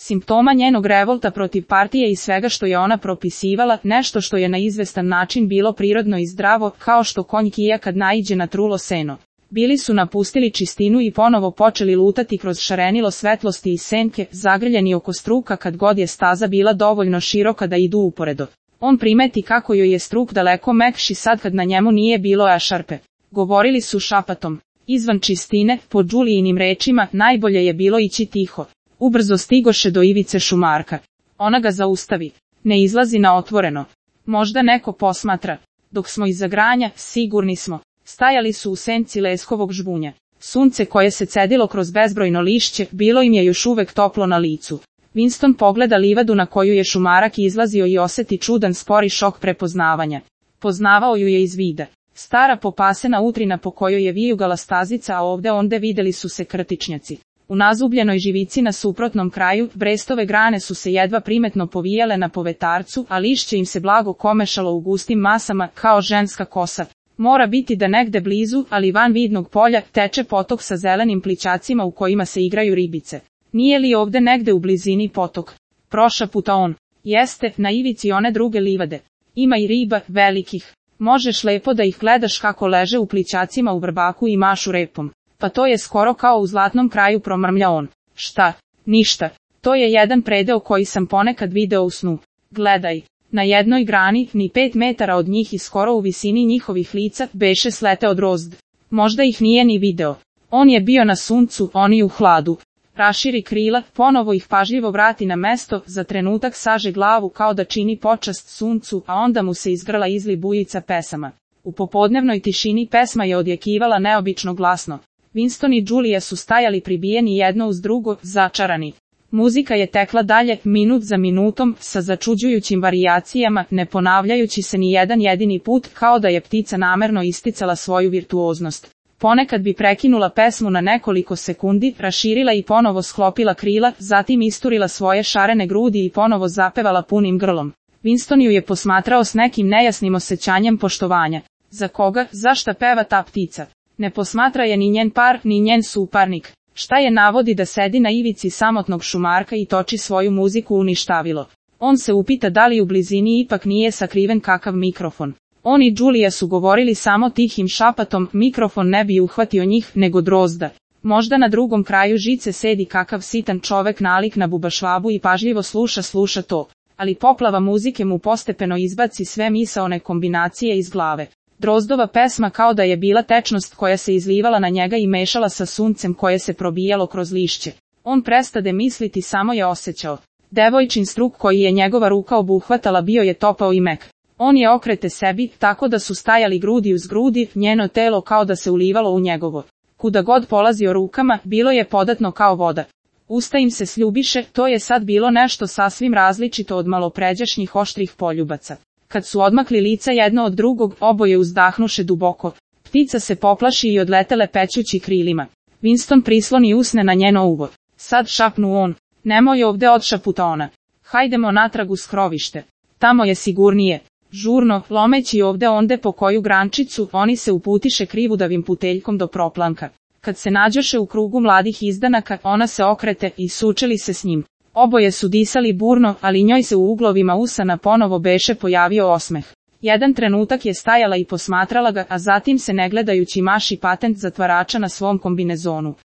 simptoma njenog revolta protiv partije i svega što je ona propisivala, nešto što je na izvestan način bilo prirodno i zdravo, kao što konj kija kad naiđe na trulo seno. Bili su napustili čistinu i ponovo počeli lutati kroz šarenilo svetlosti i senke, zagrljeni oko struka kad god je staza bila dovoljno široka da idu uporedo. On primeti kako joj je struk daleko mekši sad kad na njemu nije bilo ešarpe. Govorili su šapatom. Izvan čistine, po Đulijinim rečima, najbolje je bilo ići tiho. Ubrzo stigoše do ivice šumarka. Ona ga zaustavi. Ne izlazi na otvoreno. Možda neko posmatra. Dok smo iza granja, sigurni smo. Stajali su u senci leskovog žbunja. Sunce koje se cedilo kroz bezbrojno lišće, bilo im je još uvek toplo na licu. Winston pogleda livadu na koju je šumarak izlazio i oseti čudan spori šok prepoznavanja. Poznavao ju je iz vida. Stara popasena utrina po kojoj je vijugala stazica, a ovde onde videli su se krtičnjaci. U nazubljenoj živici na suprotnom kraju, brestove grane su se jedva primetno povijale na povetarcu, a lišće im se blago komešalo u gustim masama, kao ženska kosa. Mora biti da negde blizu, ali van vidnog polja, teče potok sa zelenim plićacima u kojima se igraju ribice. Nije li ovde negde u blizini potok? Prošaputa on. Jeste, na ivici one druge livade. Ima i riba, velikih. Možeš lepo da ih gledaš kako leže u plićacima u vrbaku i mašu repom. Pa to je skoro kao u zlatnom kraju, promrmlja on. Šta? Ništa. To je jedan predeo koji sam ponekad video u snu. Gledaj. Na jednoj grani, ni 5 metara od njih i skoro u visini njihovih lica, beše sleteo drozd. Možda ih nije ni video. On je bio na suncu, oni u hladu. Raširi krila, ponovo ih pažljivo vrati na mesto, za trenutak saže glavu kao da čini počast suncu, a onda mu se izgrla izli bujica pesama. U popodnevnoj tišini pesma je odjekivala neobično glasno. Winston i Julia su stajali pribijeni jedno uz drugo, začarani. Muzika je tekla dalje, minut za minutom, sa začuđujućim varijacijama, ne ponavljajući se ni jedan jedini put, kao da je ptica namerno isticala svoju virtuoznost. Ponekad bi prekinula pesmu na nekoliko sekundi, raširila i ponovo sklopila krila, zatim isturila svoje šarene grudi i ponovo zapevala punim grlom. Winston ju je posmatrao s nekim nejasnim osjećanjem poštovanja. Za koga, zašta peva ta ptica? Ne posmatra je ni njen par, ni njen suparnik. Šta je navodi da sedi na ivici samotnog šumarka i toči svoju muziku u ništavilo? On se upita da li u blizini ipak nije sakriven kakav mikrofon. On i Julia su govorili samo tihim šapatom, mikrofon ne bi uhvatio njih, nego drozda. Možda na drugom kraju žice sedi kakav sitan čovek nalik na bubašvabu i pažljivo sluša to. Ali poplava muzike mu postepeno izbaci sve misaone kombinacije iz glave. Drozdova pesma kao da je bila tečnost koja se izlivala na njega i mešala sa suncem koje se probijalo kroz lišće. On prestade misliti, samo je osjećao. Devojčin struk koji je njegova ruka obuhvatala bio je topao i mek. On je okrete sebi, tako da su stajali grudi uz grudi, njeno telo kao da se ulivalo u njegovo. Kuda god polazio rukama, bilo je podatno kao voda. Usta im se sljubiše, to je sad bilo nešto sasvim različito od malopređašnjih oštrih poljubaca. Kad su odmakli lica jedno od drugog, oboje uzdahnuše duboko. Ptica se poplaši i odletele pećući krilima. Winston prisloni usne na njeno uvo. Sad, šapnu on. Nemoj ovde, odšaputa ona. Hajdemo natrag u skrovište. Tamo je sigurnije. Žurno, lomeći ovde onde po koju grančicu, oni se uputiše krivudavim puteljkom do proplanka. Kad se nađoše u krugu mladih izdanaka, ona se okrete i sučeli se s njim. Oboje su disali burno, ali njoj se u uglovima usana ponovo beše pojavio osmeh. Jedan trenutak je stajala i posmatrala ga, a zatim se ne gledajući maši patent zatvarača na svom kombinezonu.